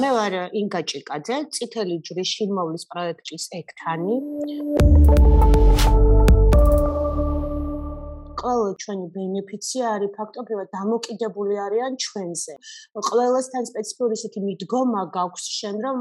მე ვარ ინგა ჭიკაძე, წითელი ჯვრის შინმოვლის პროექტის ექთანი. ყველა ჩვენი ბენეფიციარი ფაქტობრივად დამოკიდებული არიან ჩვენზე. ყველასთან სპეციფიური ისეთი მიდგომა გაქვს შენ, რომ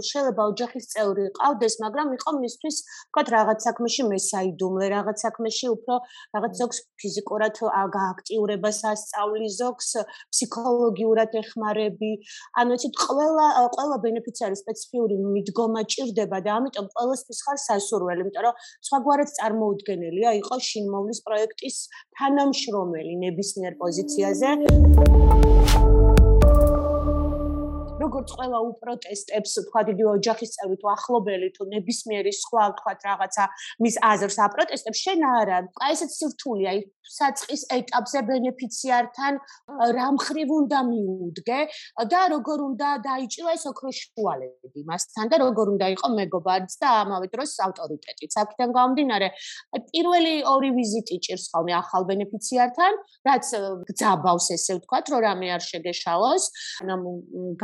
შეიძლება ოჯახის წევრი ყავდეს, მაგრამ იყო მისთვის, ვთქვათ, რაღაც საქმეში მესაიდუმლე, რაღაც საქმეში უფრო რაღაც ზოგს ფიზიკურად გააქტიურებას ასწავლის, ზოგს ფსიქოლოგიურად ეხმარები. ანუ იცით, ყველა ბენეფიციარის სპეციფიური მიდგომა ჭირდება და ამიტომ ყველასთვის ხარ სასურველი, იმიტომ რომ სხვაგვარად წარმოუდგენელია იყო შინმოვლის პროექტის თანამშრომელი ნებისმიერ პოზიციაზე. როგორც ყველა უპროტესტებს, თქვათ, იგი ოჯახის წევრი თუ ახლობელი თუ ნებისმიერი სხვა, თქვათ, რაღაცა მის აზრს აპროტესტებს, შენ არა. აი ესეც სირთულეა, საწყის ეტაპზე ბენეფიციართან რა მხრივ უნდა მიუდგე და როგორ უნდა დაიჭირო ეს ოქროს შუალები მასთან და როგორ უნდა იყო მეგობარიც და ამავე დროს ავტორიტეტიც. აქედან გამომდინარე, პირველი ორი ვიზიტი ჭირს ხოლმე ახალ ბენეფიციართან, რაც გძაბავს, ესე ვთქვათ, რომ რამე არ შეგეშალოს,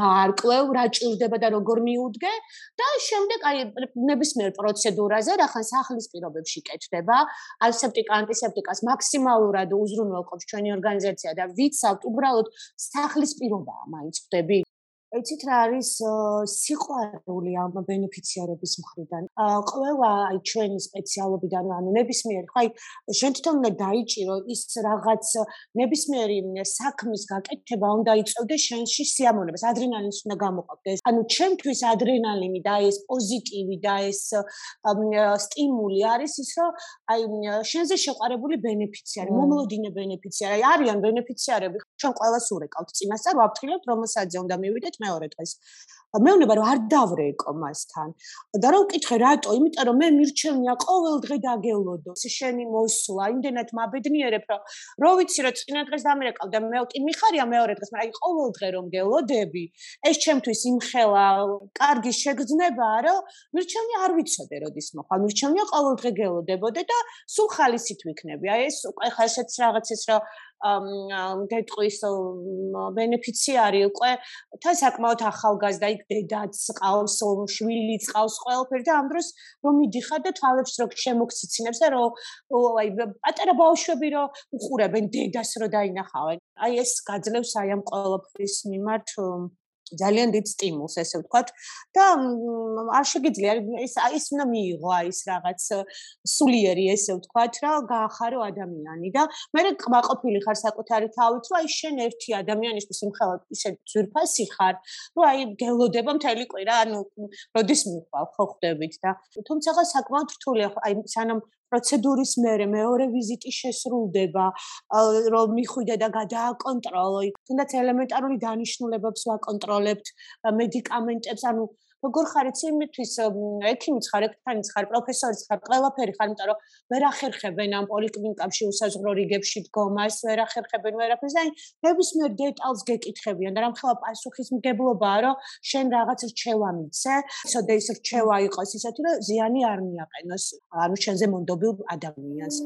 გაარკვევ, რა ჭირდება და როგორ მიუდგე და შემდეგ აი ნებისმიერ პროცედურაზე, რახან სახლის პირობებში კეთდება, ასეპტიკა, ანტისეპტიკას მაქსიმალურად უზრუნველყოფს ჩვენი ორგანიზაცია და ვიცავთ, უბრალოდ სახლის პირობაა მაინც ხვდები. იცით რა არის სიყვარული ამ ბენეფიციარების მხრიდან. ყველა აი ჩვენი სპეციალობიდან, ანუ ნებისმიერი, ხო აი შენ თვითონ უნდა დაიჭირო ის რაღაც ნებისმიერი საქმის გაკეთება უნდა იწევდეს შენში სიამოვნებას, ადრენალინს უნდა გამოყოფდეს. ანუ ჩემთვის ადრენალინი და ეს პოზიტივი და ეს სტიმული არის ის, რომ აი შენზე შეყვარებული ბენეფიციარი, მომლოდინე ბენეფიციარი, აი არიან ბენეფიციარები, ჩვენ ყველას ურეკავთ წინასწარ, ვაფრთხილებთ, რომელსაც უნდა მივიდეთ მეორე დღეს. მეუბნება რომ არ დავრეკო მასთან. და რომ ვკითხე რატო? იმიტომ რომ მე მირჩევნია ყოველ დღე დაგელოდო. შენი მოსვლა, იმდენად მაბედნიერებ, რომ ვიცი რომ წინა დღეს დამირეკავ და მე მიხარია მეორე დღეს, მაგრამ აი ყოველ დღე რომ გელოდები, ეს ჩემთვის იმხელა კარგი შეგრძნებაა, რომ მირჩევნია არ ვიცოდე როდის მოხვალ. მირჩევნია ყოველ დღე გელოდებოდე და სულ ხალისით ვიქნები. აი ეს უკვე ხა ესეც რაღაცის რომ გეტყვის ბენეფიციარი უკვე თან საკმაოდ ახალგაზრდა იქ დედაც ყავს, შვილიც ყავს ყველაფერი და ამ დროს რომ მიდიხარ და თვალებს რო შემოგციცინებს და რომ აი პატარა ბავშვები რო უყურებენ დედას რო დაინახავენ. აი ეს გაძლევს აი ამ ყველაფრის მიმართ ძალიან დიდ სტიმულს, ესე ვთქვათ და არ შეგიძლია ის უნდა მიიღო აი ეს რაღაც სულიერი, ესე ვთქვათ, რა გაახარო ადამიანი და მე კმაყოფილი ხარ საკუთარი თავით, რომ აი შენ ერთი ადამიანისთვის იმხელა ისე ძვირფასი ხარ, რომ აი გელოდება მთელი კვირა, ანუ როდის მიყვალ ხო ხვდებით და თუმცა საკმაოდ რთულია აი სანამ პროცედურის მერე მეორე ვიზიტი შესრულდება, რომ მიხვიდე და გადააკონტროლო, თუნდაც ელემენტარული დანიშნულებებს ვაკონტროლებთ, მედიკამენტებს, ანუ როგორ ხარ იცი იმისთვის ექიმიც ხარ, ექთანიც ხარ, პროფესორიც ხარ, ყველაფერი ხარ, იმიტომ რომ ვერ ახერხებენ ამ პოლიკლინიკებში უსაზღვრო რიგებში დგომას, ვერ ახერხებენ ვერაფერს და ნებისმიერ დეტალს გეკითხებიან და რამხელა პასუხისმგებლობაა, რომ შენ რაღაც რჩევა მიცე, ცოტა ის რჩევა იყოს ისეთი, რომ ზიანი არ მიაყენოს, ანუ შენზე მონდობილ ადამიანს.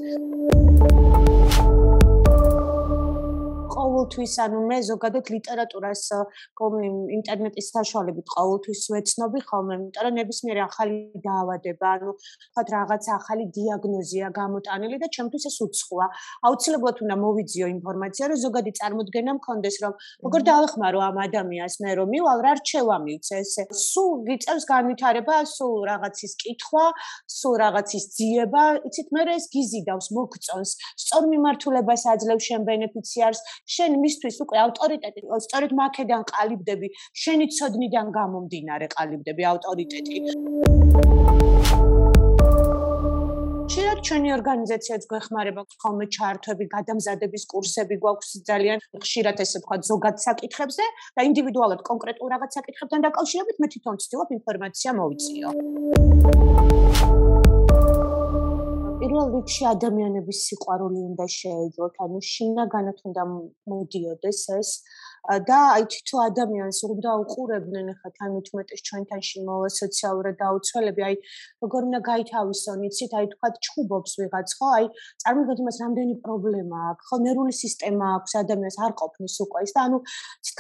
ყოველთვის, ანუ მე ზოგადად ლიტერატურას ინტერნეტის საშუალებით ყოველთვის ვეცნობი ხოლმე, იმიტომ რომ ნებისმიერი ახალი დაავადება, ანუ თქვათ რაღაც ახალი დიაგნოზია გამოტანილი და ჩემთვის ეს უცხოა. აუცილებლად უნდა მოვიძიო ინფორმაცია, რომ ზოგადი წარმოდგენა მქონდეს, რომ როგორ დავეხმარო ამ ადამიანს მე რომ მივალ, რა რჩევა მივცე ესე. სულ გიწევს განვითარება, სულ რაღაცის კითხვა, სულ რაღაცის ძიება, იცით, მე ეს გიზიდავს, მოგწონს, სწორ მიმართულებას აძლევს შენ ბენეფიციარს. შენ მისთვის უკვე ავტორიტეტი, სწორედ მაქედან ყალიბდები, შენი ცოდნიდან გამომდინარე ყალიბდები ავტორიტეტი. შეიძლება ჩვენი ორგანიზაციაც გვეხმარება ხოლმე ჩართვები, გადამზადების კურსები გვაქვს ძალიან ხშირად ესე ვთქვათ ზოგად საკითხებზე და ინდივიდუალურად კონკრეტულ რაღაც საკითხებთან დაკავშირებით მე თვითონ ვცდილობ ინფორმაცია მოვიწიო. პირველ რიგში ადამიანების სიყვარული უნდა შეეძლოთ, ანუ შინაგანად უნდა მოდიოდეს ეს და აი თითო ადამიანს უნდა უყურებდნენ ახლა თანამედროვე ჩვენთან შემოვა სოციალურად დაუცველები, აი როგორ უნდა გაითავისონ, იცით, აი თქვათ ჩხუბობს ვიღაც, ხო? აი წარმოგიდგენთ იმას, რამდენი პრობლემა აქვს, ხო, ნერვული სისტემა აქვს ადამიანს არ ყოფნის უკვე ის და ანუ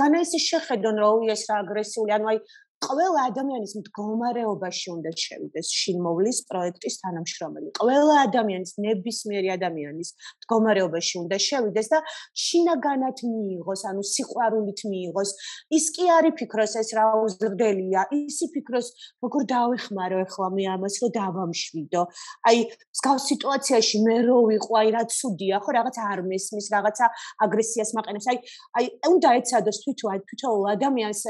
განაისი შეხედონ რომ ის რა აგრესიული, ანუ აი ყველა ადამიანის მდგომარეობაში უნდა შევიდეს შინმოვლის პროექტის თანამშრომელი. ყველა ადამიანის ნებისმიერი ადამიანის მდგომარეობაში უნდა შევიდეს და შინაგანად მიიღოს, ანუ სიყვარულით მიიღოს. ის კი არ იფიქროს ეს რა უზრდელია, ის იფიქროს როგორ დავეხმარო ახლა მე ამას რომ დავამშვიდო. აი მსგავს სიტუაციაში მე რო ვიყო, აი რა ცუდია, ხო, რაღაც არ მესმის, რაღაცა აგრესიას მაყენებს. აი უნდა ეცადოს თვითონ ადამიანს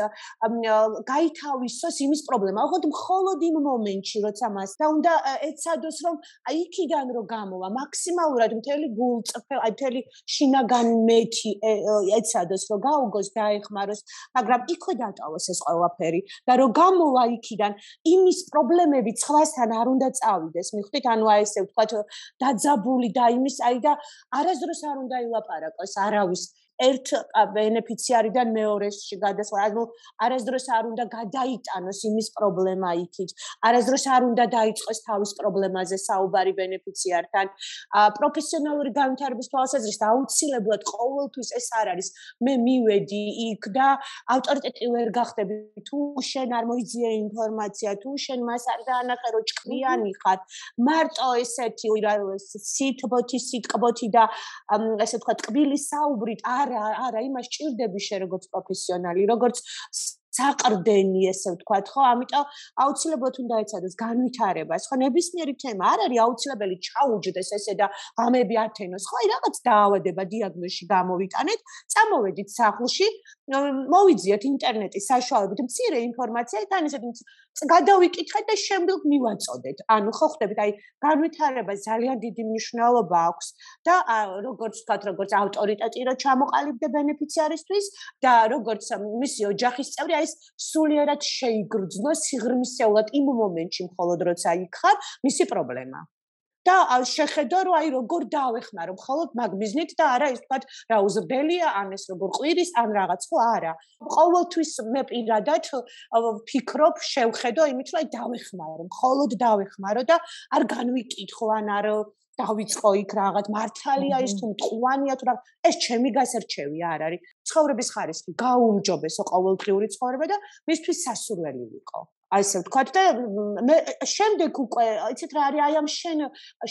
გაითავისოს იმის პრობლემა. ოღონდ მხოლოდ იმ მომენტში, როცა მას და უნდა ეცადოს რომ აი იქიდან რომ გამოვა, მაქსიმალურად მთელი გულწრფელ, აი მთელი შინაგანი მეთი ეცადოს რომ გაუგოს, დაეხმაროს, მაგრამ იქვე დატოვოს ეს ყველაფერი და რომ გამოვა იქიდან, იმის პრობლემები სხვასთან არ უნდა წავიდეს. მიხვდით, ანუ აი ესე ვთქვათ, დაძაბული და იმის აი და არასდროს არ უნდა ილაპარაკოს არავის ერთ ბენეფიციარიდან მეორეში გადასვლა, ანუ არასდროს არ უნდა გადაიტანოს იმის პრობლემა იქით, არასდროს არ უნდა დაიწყოს თავის პრობლემაზე საუბარი ბენეფიციართან. პროფესიონალური განვითარების თვალსაზრისით აუცილებლად ყოველთვის ეს არ არის, მე მივედი იქ და ავტორიტეტი ვერ გახდები, თუ შენ არ მოიძიე ინფორმაცია, თუ შენ მას არ დაანახე, რომ ჭკვიანი ხარ, მარტო ესეთი სიტყბოთი და ესე ვთქვათ, ტკბილი საუბრით არა, იმას ჭირდები შე როგორც პროფესიონალი, როგორც საყრდენი, ესე ვთქვათ, ხო? ამიტომ აუცილებლად უნდა ეცადოს განვითარებას, ხო? ნებისმიერი თემა არ არის აუცილებელი ჩაუჯდეს ესე და ღამები ათენოს, ხო? აი რაღაც დაავადება დიაგნოზში გამოვიტანეთ, წამოვედით სახლში, მოვიძიეთ ინტერნეტის საშუალებით მცირე ინფორმაცია, თან ესეთი გადავიკითხეთ და შემდეგ მივაწოდეთ. ანუ ხო ხვდებით, აი განვითარებას ძალიან დიდი მნიშვნელობა აქვს და როგორც ვთქვათ, როგორც ავტორიტეტი რო ჩამოყალიბდა ბენეფიციარისთვის და როგორც მისი ოჯახის წევრი, აი ეს სულიერად შეიგრძნოს სიღრმისეულად იმ მომენტში მხოლოდ როცა იქ ხარ, მისი პრობლემა. და შეხედო რომ აი როგორ დავეხმარო მხოლოდ მაგ მიზნით და არა ის ვთქვათ რა უზრდელია ან ეს როგორ ყვირის ან რაღაც ხო არა ყოველთვის მე პირადად ვფიქრობ შევხედო იმით რომ აი დავეხმარო მხოლოდ დავეხმარო და არ განვიკითხო ან არ დავიწყო იქ რაღაც მართალია ის თუ მტყუანია თუ რა ეს ჩემი გასარჩევი არ არის ცხოვრების ხარისხი გაუმჯობესო ყოველდღიური ცხოვრება და მისთვის სასურველი ვიყო აი ესე ვთქვათ და მე შემდეგ უკვე იცით რა არის აი ამ შენ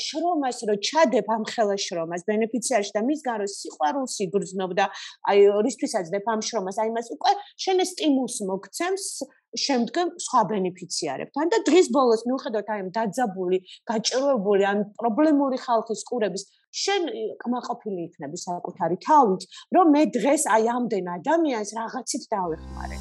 შრომას რო ჩადებ ამ ხელა შრომას ბენეფიციარში და მისგან რო სიყვარულს იგრძნობ და აი რისთვისაც დებ ამ შრომას აი მას უკვე შენ ეს სტიმულს მოგცემს შემდგომ სხვა ბენეფიციარებთან და დღის ბოლოს მიუხედავად აი ამ დაძაბული, გაჭირვებული ან პრობლემური ხალხის ყურების შენ კმაყოფილი იქნები საკუთარი თავით, რომ მე დღეს აი ამდენ ადამიანს რაღაცით დავეხმარე.